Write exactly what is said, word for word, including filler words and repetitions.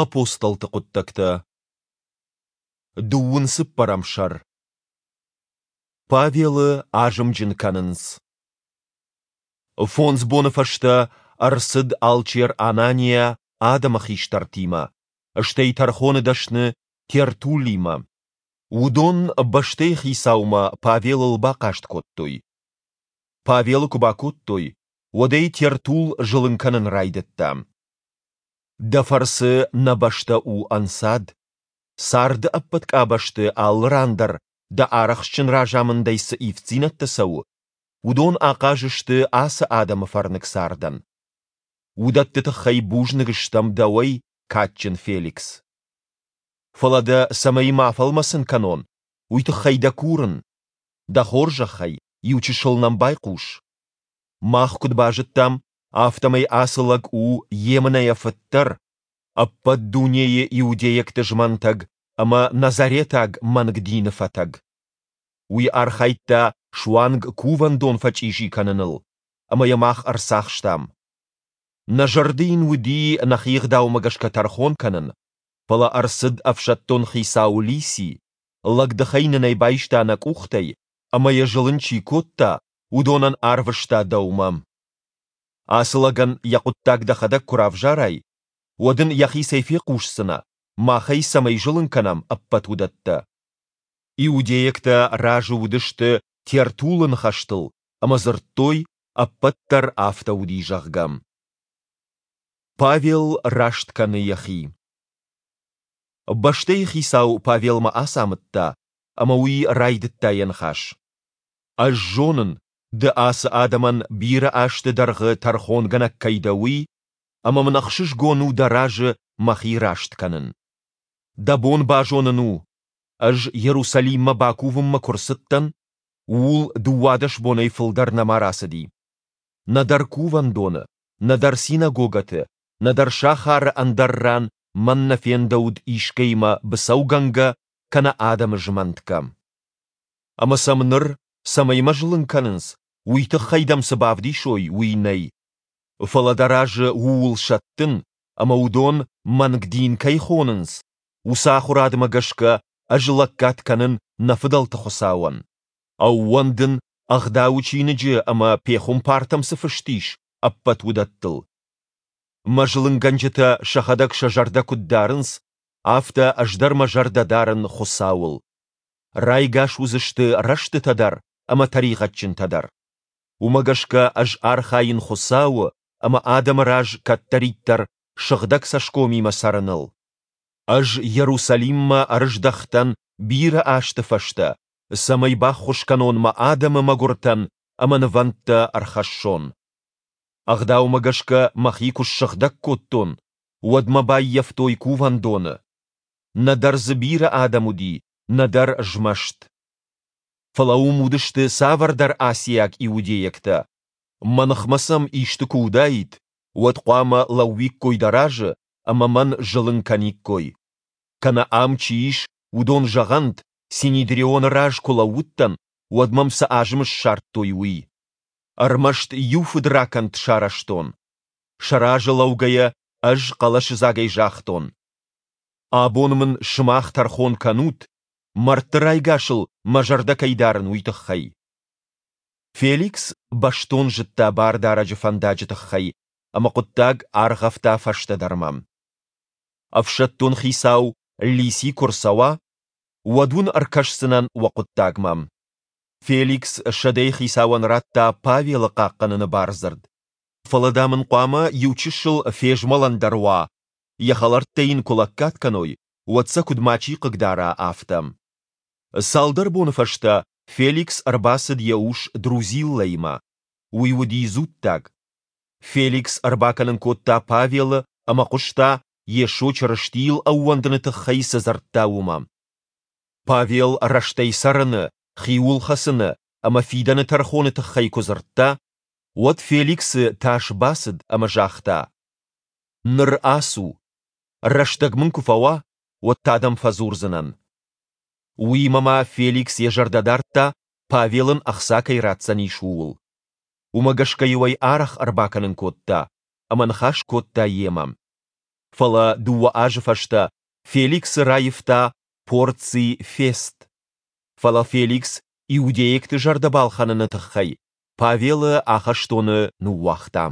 Апостолты хъуыддӕгтӕ, дыууын цыппӕрӕм сӕр. Павелы азымджын кӕнынц. Фондз боны фӕстӕ ӕрцыд алчер Анания адӕмы хистӕртимӕ, стӕй тӕрхоны дӕсны Тертуллимӕ. Уыдон бӕстӕйы хицаумӕ Павелыл бахъаст кодтой. Павелы куы бакодтой, уӕд ӕй Тертулл зылын кӕнын райдыдта. Дӕ фӕрцы нӕ бӕстӕ у ӕнцад. Царды ӕппӕт къабӕзты алы ран дӕр дӕ арӕхстджын разамындӕй цы ивддзинӕдтӕ цӕуы, уыдон ахъаз сты ацы адӕмы фӕрныг цардӕн. Уыдӕтты тыххӕй бузныг стӕм дӕуӕй, кадджын Феликс. Фӕлӕ дӕ цӕмӕй ма фӕлмӕцын кӕнон, уый тыххӕй дӕ курын, дӕ хорзӕхӕй, иучысыл нӕм байхъус. Мах куыд базыдтам, афтӕмӕй ацы лӕг у емынӕйӕ фыддӕр, ӕппӕт дунейы иудейӕгты змӕнтӕг ӕмӕ назаретаг мӕнг дины фӕтӕг. Уый архайдта суанг кувӕндон фӕчъизи кӕныныл, ӕмӕ йӕ мах ӕрцахстам. Нӕ зӕрды йын уыди нӕхи ӕгъдаумӕ гӕсгӕ тӕрхон кӕнын, фӕлӕ ӕрцыд ӕфсӕддон хицау Лисий, лӕгдыхӕй нын ӕй байста нӕ къухтӕй ӕмӕ йӕ зылын чи кодта, уыдонӕн арвыста дӕумӕ. Ацы лӕгӕн йӕ хъуыддаг дӕхӕдӕг куы равзарай, уӕд ын йӕхицӕй фехъусдзынӕ, мах ӕй цӕмӕй зылын кӕнӕм, ӕппӕт уыдӕттӕ. Иудейӕгтӕ разы уыдысты Тертуллы ныхӕстыл ӕмӕ дзырдтой, ӕппӕт дӕр афтӕ уыди, зӕгъгӕ. Павел раст кӕны йӕхи. Бӕстӕйы хицау Павелмӕ ацамыдта, ӕмӕ уый райдыдта йӕ ныхас. Ӕз зонын, ды ацы адӕмӕн бирӕ азты дӕргъы тӕрхонгӕнӕг кӕй дӕ, уый, ӕмӕ мын ӕхсызгон у дӕ разы мӕхи раст кӕнын. Дӕ бон базонын у, ӕз Иерусалиммӕ бакувынмӕ куы рцыдтӕн, ууыл дыууадӕс бонӕй фылдӕр нӕма рацыди. Нӕдӕр кувӕндоны, нӕдӕр синагогӕты, нӕдӕр сахары ӕндӕр ран мӕн нӕ фендӕуыд искӕимӕ быцӕугӕнгӕ кӕнӕ адӕмы змӕнтгӕ. Ӕмӕ сӕм ныр, цӕмӕй мӕ зылын кӕнынц, уый тыххӕй дӕм цы бавдисой, уый нӕй. Фӕлӕ дӕ разы ууыл сӕттын, ӕмӕ уыдон мӕнг дин кӕй хонынц, уыцы ахуырадмӕ гӕсгӕ ӕз лӕггад кӕнын нӕ фыдӕлты Хуыцауӕн. Ӕууӕндын, Ӕгъдауы чиныджы ӕмӕ пехуымпартӕм цы фыст ис, ӕппӕт уыдӕттыл. Мӕ зылынгӕнджытӕ сӕхӕдӕг сӕ зӕрдӕ куыд дарынц, афтӕ ӕз дӕр мӕ зӕрдӕ дарын Хуыцауыл. Райгас уыдзысты рӕстытӕ дӕр ӕмӕ тӕригъӕдджынтӕ дӕр. Уымӕ гӕсгӕ ӕз архайын Хуыцауы ӕмӕ адӕмы раз кӕддӕриддӕр сыгъдӕг цӕсгомимӕ цӕрыныл. Ӕз Иерусалиммӕ ӕрыздӕхтӕн бирӕ азты фӕстӕ, цӕмӕй баххуыс кӕнон мӕ адӕмы мӕгуыртӕн ӕмӕ нывӕндтӕ ӕрхӕссон. Ӕгъдаумӕ гӕсгӕ мӕхи куы ссыгъдӕг кодтон, уӕд мӕ баййӕфтой кувӕндоны. Нӕдӕр дзы бирӕ адӕм уыди, нӕдӕр змӕст. Фӕлӕ уым уыдысты цавӕрдӕр асиаг иудейӕгтӕ. Мӕ ныхмӕ сӕм исты куы уыдаид, уӕд хъуамӕ лӕууиккой дӕ разы ӕмӕ мӕн зылын кӕниккой. Кӕнӕ ам чи ис, уыдон зӕгъӕнт, Синедрионы раз куы лӕууыдтӕн, уӕд мӕм цы азым ссардтой, уый. Ӕрмӕст иу фыдракӕнд сарӕзтон. Сӕ разы лӕугӕйӕ ӕз хъӕлӕсыдзагӕй загътон: Абон мын сымах тӕрхон кӕнут, мӕрдты райгасыл мӕ зӕрдӕ кӕй дарын, уый тыххӕй. Феликс бӕстон зыдта Бардарӕджы фӕндаджы тыххӕй ӕмӕ хъуыддаг аргъӕвта фӕстӕдӕрмӕ. Ӕфсӕддон хицау Лисий куы рцӕуа, уӕд уын ӕркӕсдзынӕн уӕ хъуыддагмӕ. Феликс сӕдӕйы хицауӕн радта Павелы хъахъхъӕныны бардзырд. Фӕлӕ, дам ын хъуамӕ иучысыл фезмӕлӕн дӕр уа, йӕ хӕлӕрттӕ йын куы лӕггад кӕной, уӕд сӕ куыд мачи хъыгдара, афтӕ. Цалдӕр боны фӕстӕ Феликс ӕрбацыд йӕ ус Друзиллӕимӕ. Уый уыди дзуттаг. Феликс ӕрбакӕнын кодта Павелы ӕмӕ хъуыста, Йесо Чырыстийыл ӕууӕндыны тыххӕй цы дзырдта, уымӕ. Павел рӕстӕй цӕрыны, хиуыл хӕцыны ӕмӕ фидӕны тӕрхоны тыххӕй куы дзырдта, уӕд Феликсы тас бацыд ӕмӕ загъта: Ныр ацу. Рӕстӕг мын куы фӕуа, уӕд та дӕм фӕдзурдзынӕн. Уыимӕ ма Феликс йӕ зӕрдӕ дардта, Павел ын ӕхца кӕй ратдзӕнис, ууыл. Уымӕ гӕсгӕ-иу ӕй арӕх ӕрбакӕнын кодта ӕмӕ ныхас кодта йемӕ. Фӕлӕ дыууӕ азы фӕстӕ Феликсы раивта Порций Фест. Фӕлӕ Феликс иудейӕгты зӕрдӕ балхӕныны тыххӕй Павелы ахӕстоны ныууагъта.